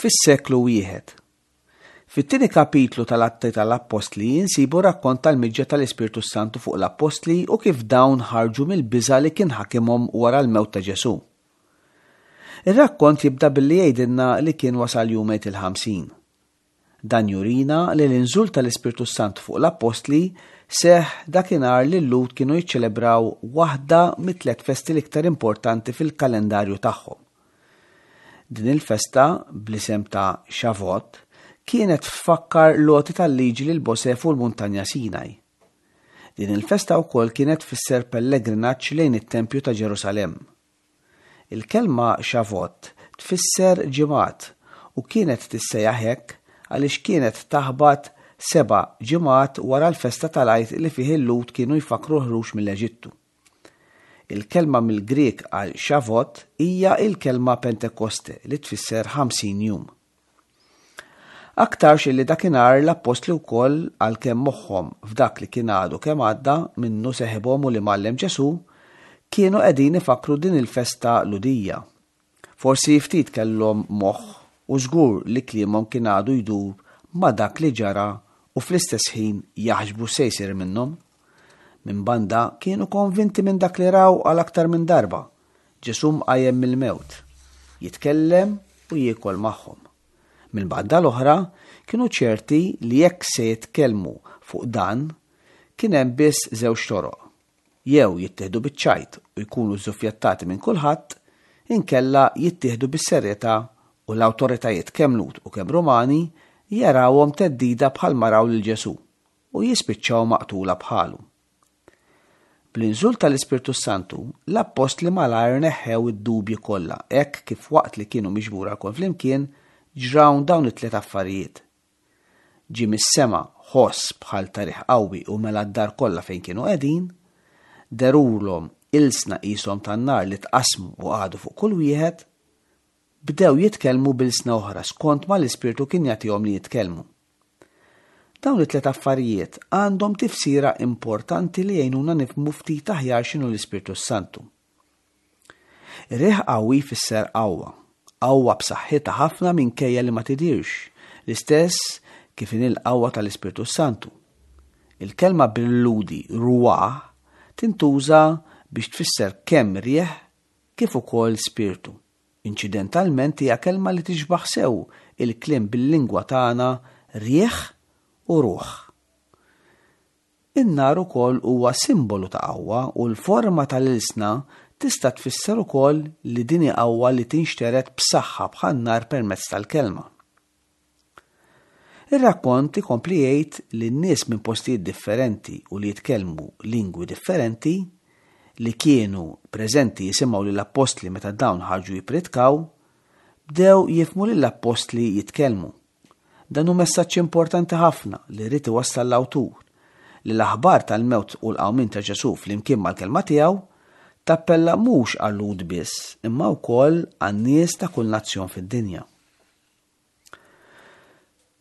Fis-seklu wieħed. Fit-tieni kapitlu tal-Atti tal-Appostli insibu rakkont tal-miġja tal-Ispirtu s-Santu fuq l-Appostli u kif dawn ħarġu mill-biża' li kien ħakimhom wara l-mewt ta' Ġesù. Ir-rakkont jibda billi jgħidilna li kien wasal jum Għid il-Ħamsin. Dan jurina li l-inżul tal-Ispirtu s-Santu fuq l-Appostli seħħ dakinhar li l-Lhud kienu jiċċelebraw waħda mit-tliet festi l-iktar importanti fil-kalendarju tagħhom. Din il-festa, bl-isem ta' Shavuot, kienet tfakkar l-għoti tal-Liġi lil Mosè fuq il-Muntanja Sinaj. Din il-festa wkoll kienet tfisser pellegrinaġġ lejn it-Tempju ta' Ġerusalemm. Il-kelma Shavuot tfisser ġimgħat u kienet tissejjaħ hekk għaliex kienet taħbat seba' ġimgħat wara l-festa tal-Għid li fih il-Lhud kienu jfakkru l-ħruġ mill-Eġittu. Il-kelma mill-Grieg għal Shavuot hija l-kelma Pentekoste li tfisser 50 jum. Aktarx illi dakinhar l-appostli wkoll għalkemm moħħhom f'dak li kien għadu kemm għadda minnu seħibhom u l-Imgħallem Ġesù, kienu qegħdin ifakkru din il-festa Lhudija. Forsi ftit kellhom moħħ u żgur li kliemhom kien għadu jdur ma' dak li ġara u fl-istess ħin jaħsbu x'se jsir minnhom. Minn banda kienu konvinti minn dak li raw għal aktar minn darba, Ġesù mqajjem mill-mewt, jitkellem u jiekol magħhom. Mill-banda l-oħra, kienu ċerti li jekk se jitkellmu fuq dan, kien hemm biss żewġ toroq. Jew jittieħdu biċ-ċajt u jkunu żuffjettati minn kulħadd, inkella jittieħdu bis-serjetà u l-awtoritajiet kemm Lhud u kemm Rumani jarawhom theddida bħalma raw lil Ġesù u jispiċċaw maqtula bħalu. Bl-inżul tal-Ispirtu s-Santu, l-appostli malajr neħħew id-dubji kollha hekk kif waqt li kienu miġbura lkoll flimkien ġraw dawn it-tliet affarijiet. Ġie mis-sema ħoss bħal ta' riħ qawwi u mela d-dar kollha fejn kienu qegħdin, dherulhom ilsna qishom tan-nar li tqassmu u qagħdu fuq kull wieħed, bdew jitkellmu b'ilsna oħra skont ma l-Ispirtu kien jagħtihom li jitkellmu. Dawn it-tliet affarijiet għandhom tifsira importanti li jgħinuna nifhmu ftit aħjar x'inhu l-Ispirtu s-Santu. Ir-riħ qawwi jfisser qawwa, qawwa b'saħħitha ħafna minkejja li ma tidhirx, l-istess kif inhi l-qawwa tal-Ispirtu s-Santu. Il-kelma bil-Lhudi ruah tintuża biex tfisser kemm riħ kif ukoll spirtu. Inċidentalment hija kelma li tixbah sew il-kliem bil-lingwa tagħna riħ u ruħ. In-nar ukoll huwa simbolu ta' qawwa u l-forma tal-ilsna tista' tfisser ukoll li din hi qawwa li tinxtered b'saħħa bħan-nar permezz tal-kelma. Ir-rakkont ikompli jgħid li n-nies minn postijiet differenti u li jitkellmu lingwi differenti, li kienu preżenti jisimgħu lill-appostli meta dawn ħarġu jippritkaw, bdew jifhmu lill-appostli jitkellmu. Dan hu messaġġ importanti ħafna li ried iwassal l-awtur, li l-aħbar tal-mewt u l-qawmien ta' Ġesù flimkien mal-kelma tiegħu tappella mhux għal-Lhud biss imma wkoll għan-nies ta' kull nazzjon fid-dinja.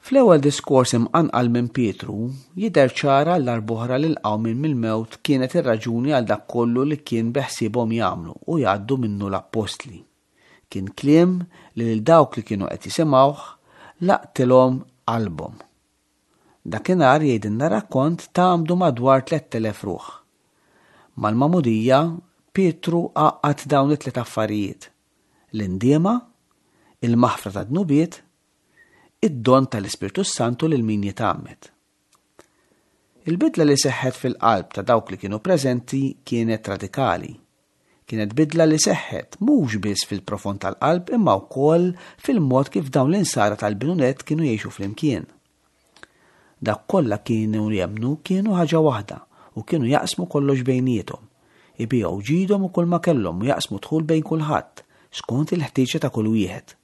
Fl-ewwel diskors imqanqal minn Pietru, jidher ċar għal darb'oħra li l-qawmien mill-mewt kienet ir-raġuni għal dak kollu li kien beħsiebhom jagħmlu u jgħaddu minnu l-appostli. Kien kliem li lil dawk li kienu qed jisimgħuh laqtilhom qalbhom. Dakinhar jgħidilna r-rakkont tgħammdu madwar 3,000 ruħ. Mal-magħmudija, Pietru għaqqad dawn it-tliet affarijiet, l-indiema, il-maħfra tad-dnubiet, id-don tal-Ispirtu s-Santu lil min jitgħammed. Il-bidla li seħħet fil-qalb ta' dawk li kienu preżenti kienet radikali. Kienet bidla li seħħet mhux biss fil-profond tal-qalb imma wkoll fil-mod kif dawn l-insara tal-bidu nett kienu jgħixu flimkien. Dawk kollha kienu jemmnu kienu ħaġa waħda u kienu jaqsmu kollox bejniethom. Ibigħu ġidhom u kulma kellhom u jaqsmu dħul bejn kulħadd, skont il-ħtieġa ta' kull wieħed.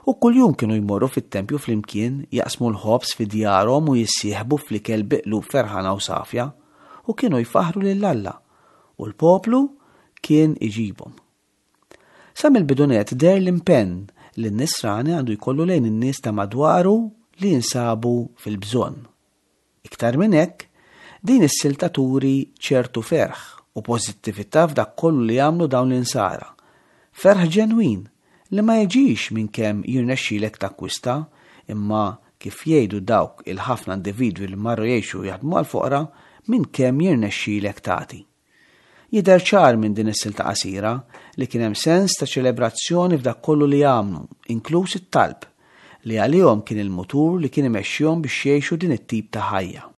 U kuljum kienu jmorru fit-tempju flimkien, jaqsmu l-ħobż fi djarhom u jissieħbu fl-ikel bi qlub ferħana u safja, u kienu jfaħħru lil Alla, u l-poplu kien iġibhom. Sa mill-bidu nett deher l-impenn li n-Nisrani għandu jkollu lejn in-nies ta' madwaru li jinsabu fil-bżonn. Iktar minn hekk, din is-silta turi ċertu ferħ u pożittività f'dak kollu li jagħmlu dawn l-Insara. Ferħ ġenwin li ma jiġix minn kemm jirnexxilek takkwista, imma kif jgħidu dawk il-ħafna individwi li marru jgħixu u jaħdmu għall-foqra, minn kemm jirnexxilek tagħti. Jidher ċar minn din is-silta qasira li kien hemm sens ta' ċelebrazzjoni f'dak kollu li għamlu, inkluż it-talb, li għalihom kien il-mutur li kien imexxihom biex jgħixu din it-tip ta' ħajja.